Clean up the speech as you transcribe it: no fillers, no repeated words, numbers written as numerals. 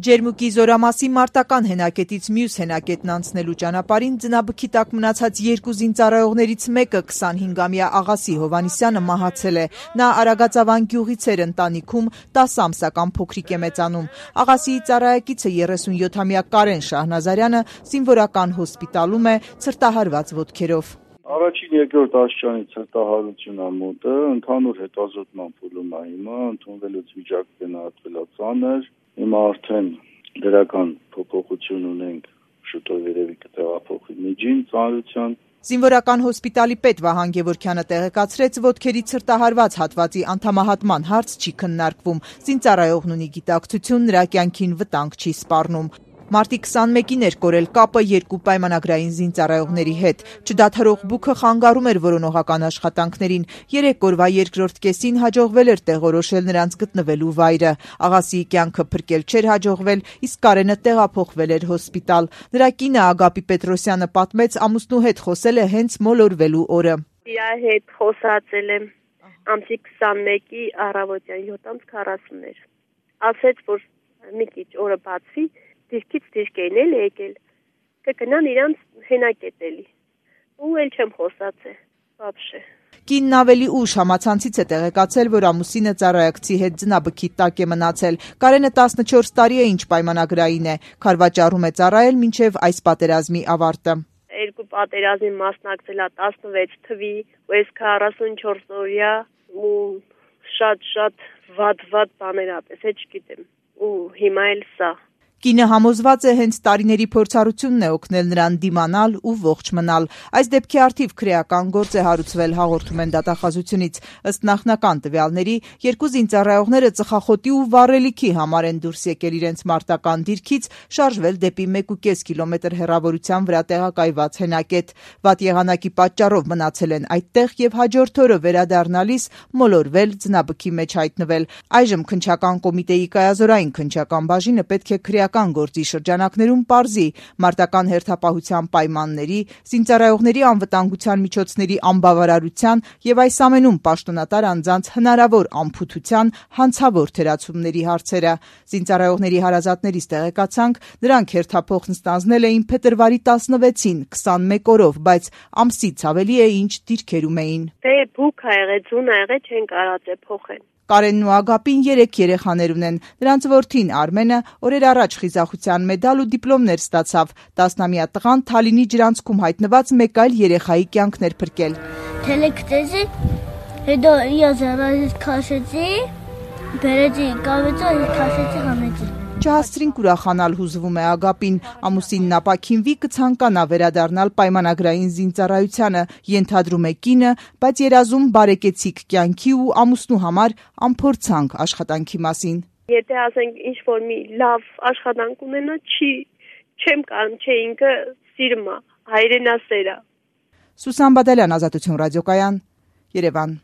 Ջերմուկի զորամասի մարտական հենակետից մյուս հենակետն անցնելու ճանապարհին ձնաբքի տակ մնացած երկու զինծառայողներից մեկը 25-ամյա Աղասի Հովհաննիսյանը մահացել է։ Նա Արագածավան գյուղից էր ընտանիքում 10 ամսական փոքրիկ է մեծանում։ Աղասիի ծառայակիցը 37-ամյա Կարեն Շահնազարյանը զինվորական հոսպիտալում է ցրտահարված ոտքերով։ Առաջին երկրորդ աստիճանի ցրտահարություն է մոտը, ընդհանուր հետազոտման փուլում է հիմա, ընդունվելուց վիճակը գնահատվել է ծանր, հիմա արդեն դրական փոփոխություն ունենք, շուտով երևի կտեղափոխվի միջին ծանրության։ Զինվորական հոսպիտալի պետ Վահան Գևորգյանը տեղեկացրեց, ոտքերի ցրտահարված հատվածի անդամահատման հարց չի քննարկվում, զինծառայողն ունի գիտակցություն, նրա կյանքին վտանգ չի սպառնում։ Մարտի 21-ին էր կորել կապը երկու պայմանագրային զինծառայողների հետ։ Չդադարող բուքը խանգարում էր որոնողական աշխատանքներին։ 3 օրվա երկրորդ կեսին հաջողվել էր տեղորոշել նրանց գտնվելու վայրը։ Աղասիի կյանքը փրկել չէր հաջողվել, իսկ Կարենը տեղափոխվել էր հոսպիտալ։ Նրա կինը Ագապի Պետրոսյանը պատմեց, ամուսնու հետ խոսել է հենց մոլորվելու օրը։ Իր հետ խոսացել եմ ամսի 21-ի առավոտյան 7:40 էր։ Ասեց, որ մի քիչ օրը բացվի, դիրքից դիրք էին եկել, կգնան իրանց հենակետ էլի, ու էլ չեմ խոսացել, բաբշե։ Կինն ավելի ուշ համացանցից է տեղեկացել, որ ամուսինը ծառայակցի հետ ձնաբքի տակ է մնացել։ Կարենը 14 տարի է ինչ պայմանագրային է, քարվաճառում է ծառայել մինչև այս պատերազմի ավարտը։ Երկու պատերազմի մասնակցել է 16 թվի, ու այս 44 օրյա ու շատ վատ բաներ ապես, չգիտեմ, ու հիմա էլ սա։ Կինը համոզված է, հենց տարիների փորձառությունն է օգնել նրան դիմանալ ու ողջ մնալ։ Այս դեպքի առթիվ քրեական գործ է հարուցվել, հաղորդում են դատախազությունից։ Ըստ նախնական տվյալների, երկու զինծառայողները ծխախոտի ու վառելիքի համար են դուրս եկել իրենց մարտական դիրքից, շարժվել դեպի 1.5 կիլոմետր հեռավորության վրա տեղակայված հենակետ։ Վատ եղանակի պատճառով մնացել են այդտեղ եւ հաջորդ օրը վերադառնալիս մոլորվել, ձնաբքի մեջ հայտնվել։ Այժմ քննչական կոմիտեի կայազորային քննչական բաժինը պետք է քրեական գործի շրջանակներում պարզի մարտական հերթապահության պայմանների, զինծառայողների անվտանգության միջոցների անբավարարության եւ այս ամենում պաշտոնատար անձանց հնարավոր անփութության հանցավոր թերացումների հարցերը։ Զինծառայողների հարազատներից տեղեկացանք, նրանք հերթափոխն ստանձնել էին փետրվարի 16-ին 21 օրով, բայց ամսից ավելի է ինչ դիրքերում էին։ Դե բուք ա եղել, ձուն ա եղել, չեն կարած փոխեն։ Կարենն ու Ագապին 3 երեխաներ ունեն։ Նրանց որդին Արմենը օրեր առաջ խիզախության մեդալ ու դիպլոմներ ստացավ։ 10-ամյա տղան Թալինի ջրանցքում հայտնված մեկ այլ երեխայի կյանքն էր փրկել։ Թելեկտեզի հետո իազարազից քաշեցի, բերեցի կավեցը, քաշեցի համեցի։ Չհասցրինք ուրախանալ, հուզվում է Ագապին։ Ամուսինն ապաքինվի կցանկանա վերադառնալ պայմանագրային զինծառայությանը, ենթադրում է կինը, բայց երազում բարեկեցիկ կյանքի ու ամուսնու համար անփորձանք աշխատանքի մասին։ Եթե ասենք ինչ որ մի լավ աշխատանք ունենա, չեմ կարող, չէ ինքը սիրում է, հայրենասեր է։ Սուսան Բադալյան, Ազատություն ռադիոկայան, Երևան։